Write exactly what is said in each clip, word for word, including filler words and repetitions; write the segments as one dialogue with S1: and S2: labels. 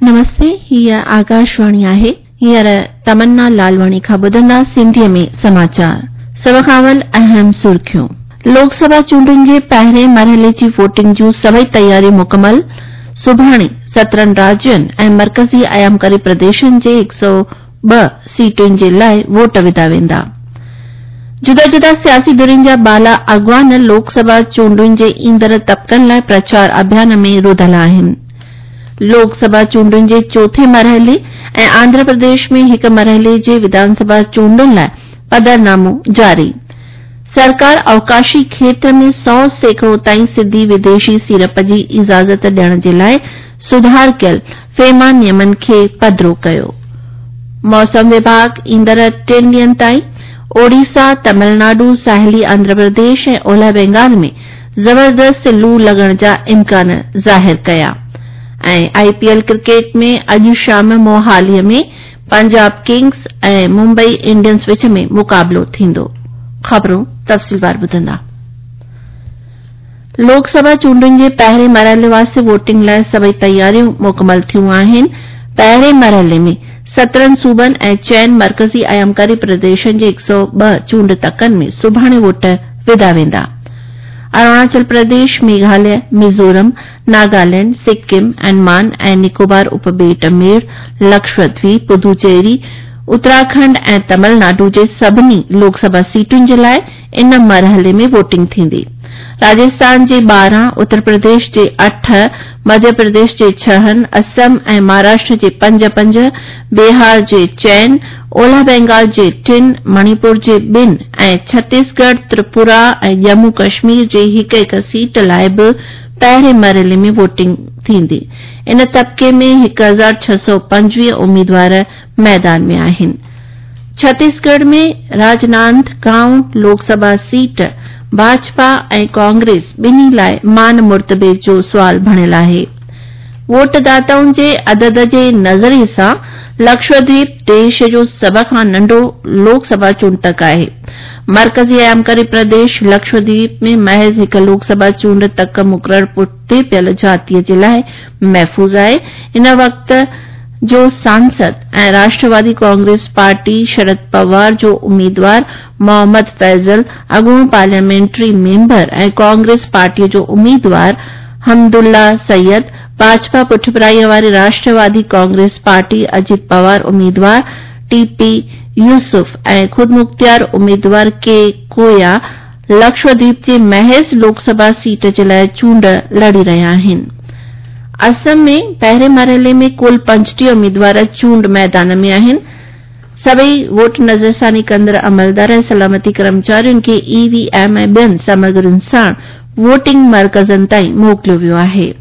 S1: नमस्ते, हीअ आकाशवाणी आहे। हींअर तमन्ना लालवाणी खां ॿुधंदा सिंधीअ में समाचार। सभ खां अवल अहम सुर्खियूं। लोकसभा चूंडुनि जे पहिरें मरहले जी वोटिंग जूं सभई तयारियूं मुकमल। सुभाणे सत्रहं राज्यनि ऐं मर्कज़ी आयामकारी प्रदेशनि जे हिकु सौ ॿ सीटुनि जे लाइ वोट विधा वेंदा। जुदा जुदा सियासी धुरियुनि जा बाला अॻवान लोकसभा चूंडुनि जे ईंदड़ तबकनि लाइ प्रचार अभियान में रुधल आहिनि। लोकसभा चूंडुनि जे चोथें मरहले ऐं आंध्र प्रदेश में हिकु मरहले जे विधानसभा चूंडुनि लाइ पधरनामो जारी। सरकार अवकाशी खेत्र में सौ सैकड़ो ताईं सिधी विदेशी सीड़प जी इजाज़त ॾियण जे लाइ सुधार कयल फेमा नियमनि खे पधरो कयो। मौसम विभाग ईंदड़ टिनि ॾींहनि ताईं ओडिशा, तमिलनाडु, साहिली आंध्र प्रदेश ऐं ओलह बंगाल में ज़बरदस्त लू लॻण जा इम्कान ज़ाहिर कया। ऐं आईपीएल क्रिकेट में अॼु शाम मोहालीअ में पंजाब किंग्स ऐं मुंबई इंडियंस विच में मुक़ाबिलो थींदो। ख़बरूं तफ़सीलवार ॿुधंदा। लोकसभा चूंडुनि जे पहिरें मरहले वास्ते वोटिंग लाइ सभई तयारियूं मुकमल थियूं आहिनि। पहिरें मरहले में सत्रहं सूबनि ऐं चइनि मर्कज़ी आयामकारी प्रदेशनि जे हिकु सौ ॿ चूंड तकनि में सुभाणे वोट विधा वेंदा। अरुणाचल प्रदेश, मेघालय, मिज़ोरम, नागालैंड, सिक्किम, अंडमान ऐं निकोबार उपॿेट मेड़, लक्षद्वीप, पुदुचेरी, उत्तराखंड ऐं तमिलनाडु जे सभिनी लोकसभा सीटुनि जे लाइ इन मरहले में वोटिंग थींदी। राजस्थान जे ॿारहं, उत्तर प्रदेश जे अठ, मध्य प्रदेश जे छहनि, असम ऐं महाराष्ट्र जे पंज पंज, बिहार जे चइनि, ओलह बंगाल जे टिनि, मणिपुर जे ॿिनि ऐं छत्तीसगढ़, त्रिपुरा ऐं जम्मू कश्मीर जे हिकु हिकु सीट लाइ बि पहिरें मरहले में वोटिंग थींदी। इन तबके में हिकु हज़ार छह सौ पंजवीह उम्मीदवार मैदान में आहिनि। छत्तीसगढ़ में राजनांदगांव लोकसभा सीट भाजपा ऐं कांग्रेस ॿिन्ही लाइ मान मुर्तबे जो सुवाल बणियल आहे। वोटदाताउनि जे अदद जे नज़रिए सां लक्षद्वीप देश जो सभ खां नंढो लोकसभा चूंड तक आहे। मर्कज़ी आयामकारी प्रदेश लक्षद्वीप में महज़ हिकु लोकसभा चूंड तक मुक़ररु पुठिते पियल जातीअ जे लाइ महफ़ूज़ आहे। इन वक़्त जो सांसद ऐं राष्ट्रवादी कांग्रेस पार्टी शरद पवार जो उम्मीदवार मोहम्मद फैज़ल, अॻूणो पार्लियामेंट्री मेंबर ऐं कांग्रेस पार्टीअ जो उम्मीदवार हमदुल्ला सैयद, भाजपा पुठभराईअ वारी राष्ट्रवादी कांग्रेस पार्टी अजित पवार उम्मीदवार टीपी यूसुफ ऐं ख़ुदमुख़्तियार उम्मीदवार के कोया लक्षद्वीप जे महज़ लोकसभा सीट जे लाइ चूंड लड़ी रहिया आहिनि। असम में पहिरें मरहले में कुल पंजटीह उम्मीदवार चूंड मैदान में आहिनि। सभई वोट नज़रसानी कंदड़ अमलदार ऐं सलामती कर्मचारियुनि खे ईवीएम ऐं ॿियनि सामग्रियुनि साण वोटिंग मर्कज़नि ताईं मोकिलियो वियो आहे।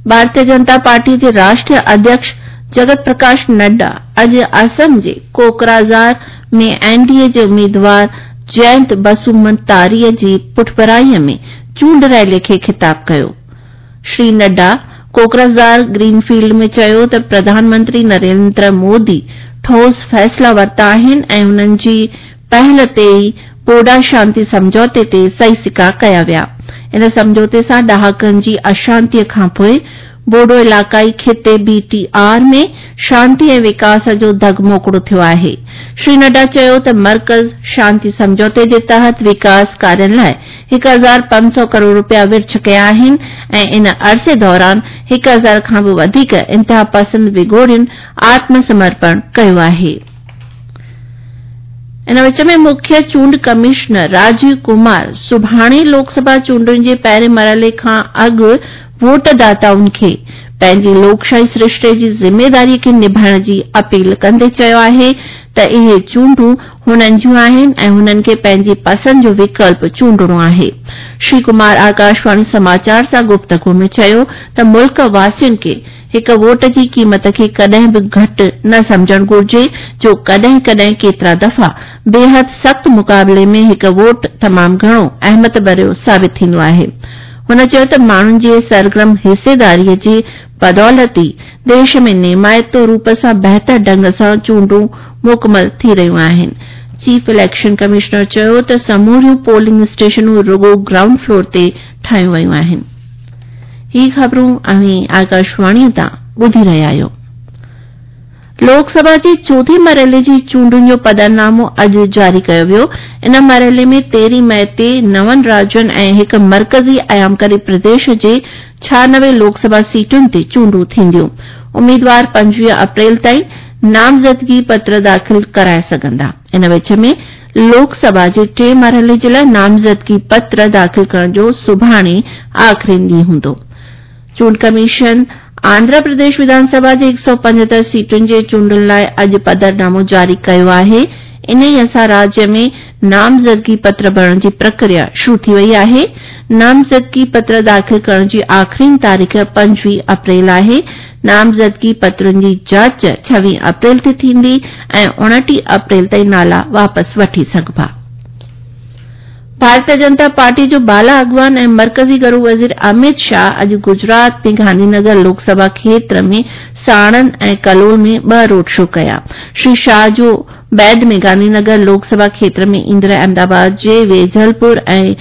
S1: भारतीय जनता पार्टी जे राष्ट्रीय अध्यक्ष जगत प्रकाश नड्डा अॼु असम जे कोकराझार में एनडीए जे उम्मीदवार जयंत बसुमतारीअ जी पुठभराईअ में चूंड रैली खे ख़िताब कयो। श्री नड्डा कोकराझार ग्रीनफील्ड में चयो त प्रधानमंत्री नरेंद्र मोदी ठोस फ़ैसिला वरिता आहिनि ऐं हुननि जी पहल ते ई बोडा शांति सम्झौते ते सही सिका कया विया। इन सम्झौते सां ॾहाकनि जी अशांतीअ खां पोइ बोडो इलाक़ाई खिते बीटीआर में शांति ऐं विकास जो धग मोकिड़ो थियो आहे। श्री नड्डा चयो त मर्कज़ शांति सम्झौते जे तहत विकास कार्यनि लाइ हिकु हज़ार पंज सौ करोड़ रुपया विर्छ कया आहिनि ऐं इन अरसे दौरान हिकु हज़ार खां बि वधीक इंतिहा पसंद विगोड़ियुनि आत्मसमर्पण कयो आहे। इन विच में मुख्य चूंड कमिश्नर राजीव कुमार सुभाणे लोकसभा चूंडुनि जे पहिरें मरहले खां अॻु वोटदाताउनि खे पंहिंजी लोकशाही सृष्टे जी ज़िम्मेदारीअ खे निभाइण जी अपील कंदे चयो आहे त इहे चूंडूं हुननि जूं आहिनि ऐं हुननि खे पंहिंजी पसंदि जो विकल्प चूंडणो आहे। श्री कुमार आकाशवाणी समाचार सां गुफ़्तगू में चयो त मुल्क वासियुनि खे हिकु वोट जी क़ीमत खे कॾहिं बि घटि न सम्झणु घुर्जे, जो कॾहिं कॾहिं केतिरा दफ़ा बेहद सख़्तु मुक़ाबले में हिकु वोट तमामु घणो अहमियत भरियो साबित थींदो आहे। हुन चयो त माण्हुनि जे सरगर्म हिसेदारीअ जे बदौलत ई देश में नेमाइतो रूप सां बहितर ढंग सां चूंडूं मुकमल थी रहियूं आहिनि। चीफ इलेक्शन कमिश्नर चयो त समूरियूं पोलिंग स्टेशनूं रुगो ग्राउंड फ्लोर ते ठाहियूं वयूं आहिनि। ही ख़बरूं अव्हीं आकाशवाणी तां ॿुधी रहिया आहियो। लोकसभा जी चोथें मरहले जी चूंडुनि जो पधरनामो अॼु जारी कयो वियो। इन मरहले में तेरहीं मई ते नवनि राज्यनि ऐं हिकु मर्कज़ी अयामकरी प्रदेश जे छियानवे लोकसभा सीटुनि ते चूंडूं थींदियूं। उम्मीदवार पंजवीह अप्रैल ताईं नामज़दगी पत्र दाख़िल कराए सघंदा। इन विच में लोकसभा जे टे मरहले जे लाइ नामज़दगी पत्र दाख़िल करण जो सुभाणे आख़िरी ॾींहुं हूंदो। चूंड कमीशन आंध्र प्रदेश विधानसभा जे हिकु सौ पंजहतरि सीटुनि जे चूंडुनि लाइ अॼु पधरनामो जारी कयो आहे। इन सां राज्य में नामज़दगी पत्र भरण जी प्रक्रिया शुरू थी वई आहे। नामज़दगी पत्र दाख़िल करण जी आख़िरी तारीख़ पंजवीह अप्रैल आहे। नामज़दगी पत्रनि जी जांच छवीह अप्रैल ते थींदी ऐं उणिटीह अप्रैल ताईं नाला वापसि वठी सघिबा। भारतीय जनता पार्टी जो बाला अॻवान ऐं मर्कज़ी गृह वज़ीर अमित शाह अॼु गुजरात में गांधीनगर लोकसभा क्षेत्र में साणंद ऐं कलोल में ॿ रोड शो कया। श्री शाह जो बैद में गांधीनगर लोकसभा क्षेत्र में ईंदड़ अहमदाबाद जे वेजलपुर ऐं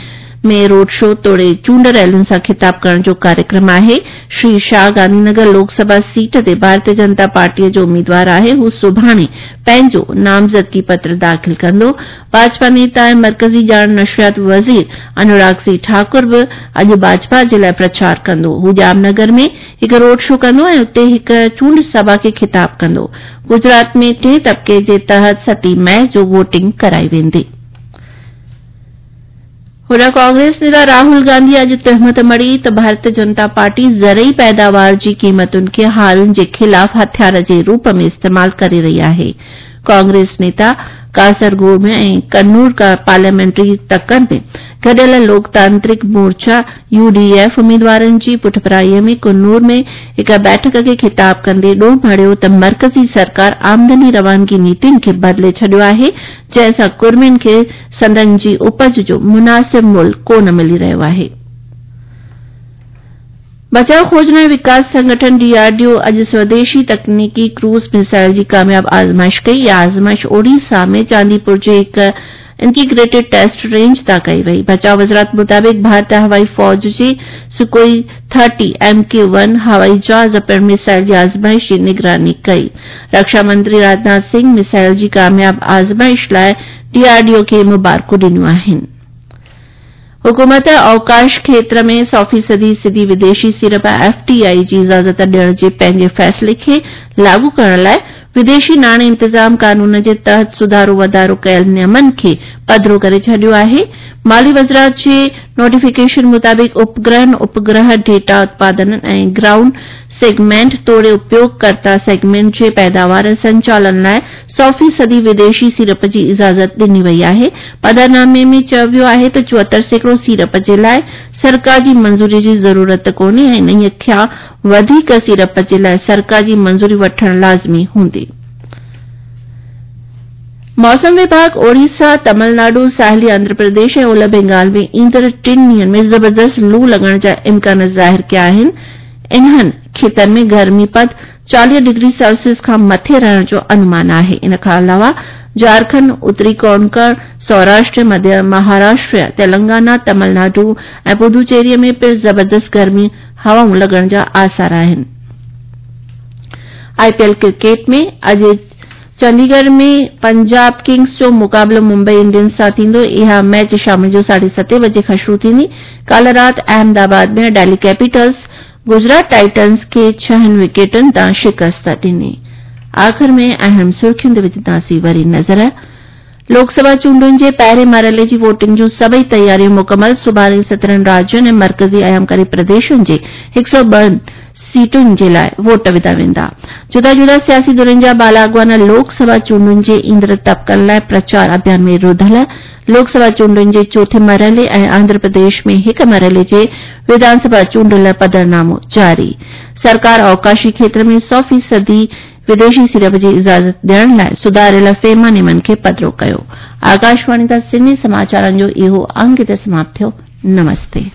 S1: में रोड शो तोड़े चूंड रैलियुनि सां खिताब करण जो कार्यक्रम आहे। श्री शाह गांधीनगर लोकसभा सीट ते भारतीय जनता पार्टीअ जो उम्मीदवार आहे। हू सुभाणे पंहिंजो नामज़दगी पत्र दाख़िल कंदो। भाजपा नेता ऐं मर्कज़ी ॼाण नशरियात वज़ीर अनुराग सिंह ठाकुर बि अॼु भाजपा जे लाइ प्रचार कंदो। हू जामनगर में हिकु रोड शो कंदो ऐं उते हिकु चूंड सभा खे खिताब कंदो। गुजरात में टे तबिके जे तहत सतीं मई जो वोटिंग कराई वेंदी। होॾां कांग्रेस नेता राहुल गांधी अॼु तहमत मढ़ी त भारतीय जनता पार्टी ज़रई पैदावार जी क़ीमतुनि खे हारियुनि जे ख़िलाफ़ हथियार जे रूप में इस्तेमालु करे रही आहे। कांग्रेस नेता कासरगोड में ऐं कन्नूर का पार्लियामेंट्री तकनि में गॾियल लोकतांत्रिक मोर्चा यूडीएफ उम्मीदवारनि जी पुठभराईअ में कन्नूर में हिकु बैठक खे खिताब कंदे ॾोह मढ़ियो त मर्कज़ी सरकार आमदनी रवानगी नीतियुनि खे बदिले छॾियो आहे, जंहिंसां कुर्मियुनि खे संदन जी उपज जो मुनासिब मुल्ह कोन मिली रहियो आहे। बचाव खोजना ऐं विकास संगठन डीआरडीओ अॼु स्वदेशी तकनीकी क्रूज मिसाइल जी कामयाब आज़माइश कई। इहा आज़माइश ओडिशा में चांदीपुर जे हिकु इंटीग्रेटेड टेस्ट रेंज तां कई वई। बचाव वज़ारत मुताबिक़ भारतीय हवाई फ़ौज जे Sukhoi thirty M K one हवाई जहाज़ पिणु मिसाइल जी आज़माइश जी निगरानी कई। रक्षा मंत्री राजनाथ सिंह मिसाइल जी कामयाब आज़माइश लाइ डीआरडीओ खे मुबारकूं ॾिनियूं आहिनि। हुकूमत अवकाश क्षेत्र में सौ फ़ीसदी सिधी विदेशी सीड़प एफडीआई जी इजाज़त ॾियण जे पंहिंजे फ़ैसिले खे लागू करण लाइ विदेशी नाणे इंतज़ाम कानून जे तहत सुधारो वाधारो कयल नियमनि खे पधरो करे छॾियो आहे। माली वज़ारत जे नोटिफिकेशन मुताबिक़ उपग्रहनि, उपग्रह डेटा उत्पादन ऐं ग्राउंड सेगमेंट तोड़े उपयोगकर्ता सेगमेंट जे पैदावार ऐं संचालन लाइ सौ फ़ीसदी विदेशी सीड़प जी इजाज़त ॾिनी वई आहे। पधरनामे में चयो वियो आहे त चोहतरि सैकड़ो सीड़प जे लाइ सरकार जी मंज़ूरी जी ज़रूरत कोन्हे ऐं इन्हीअ खां वधीक सीड़प जे लाइ सरकार जी मंज़ूरी वठणु लाज़मी हूंदी। मौसम विभाग ओडिशा, तमिलनाडु, साहिली आंध्र प्रदेश ऐं ओलह बंगाल में ईंदड़ टिनि ॾींहंनि में ज़बरदस्त लू लॻण जा इम्कान ज़ाहिर कया आहिनि। इन्हनि खेतनि में गर्मी पद चालीह डिग्री सेल्सियस खां मथे रहण जो अनुमान आहे। इन खां अलावा झारखंड, उत्तरी कोंकण, सौराष्ट्र, मध्य महाराष्ट्र, तेलंगाना, तमिलनाडु ऐं पुदुचेरीअ में पिणु ज़बरदस्त गर्मी हवाऊं लॻण जा आसार आहिनि। आईपीएल क्रिकेट में अॼु चंडीगढ़ में पंजाब किंग्स जो मुक़ाबिलो मुंबई इंडियंस सां थींदो। इहा मैच शाम जो साढे सतें बजे खां शुरू थींदी। काल्ह राति अहमदाबाद में दिल्ली कैपिटल्स गुजरात टाइटंस खे छहनि विकेटनि तां शिकस्त ॾिनी। आख़िर में अहम सुर्खियुनि ते विझंदासीं वरी नज़र। लोकसभा चूंडुनि जे पहिरें मरहले जी वोटिंग जूं सभई तयारियूं मुकमल। सुभाणे सत्रहं राज्यनि ऐं मर्कज़ी अयामकारी प्रदेशनि जे हिकु सौ ॿ सीटुनि जे लाइ वोट विधा वेंदा। जुदा जुदा सियासी धुरियुनि जा बाला अॻवान लोकसभा चूंडुनि जे ईंदड़ तबकनि लाइ प्रचार अभियान में रुधल। लोकसभा चूंडुनि जे चोथें मरहले ऐं आंध्र प्रदेश में हिकु मरहले जे विधानसभा चूंडुनि लाइ पधरनामो जारी। सरकार अवकाशी क्षेत्र में सौ फ़ीसदी विदेशी सीड़प जी इजाज़त ॾियण लाइ सुधारियल फेमा नियमनि खे पधरो कयो। आकाशवाणी तां सिंधी समाचारनि जो इहो अंग हिते समाप्त थियो। नमस्ते।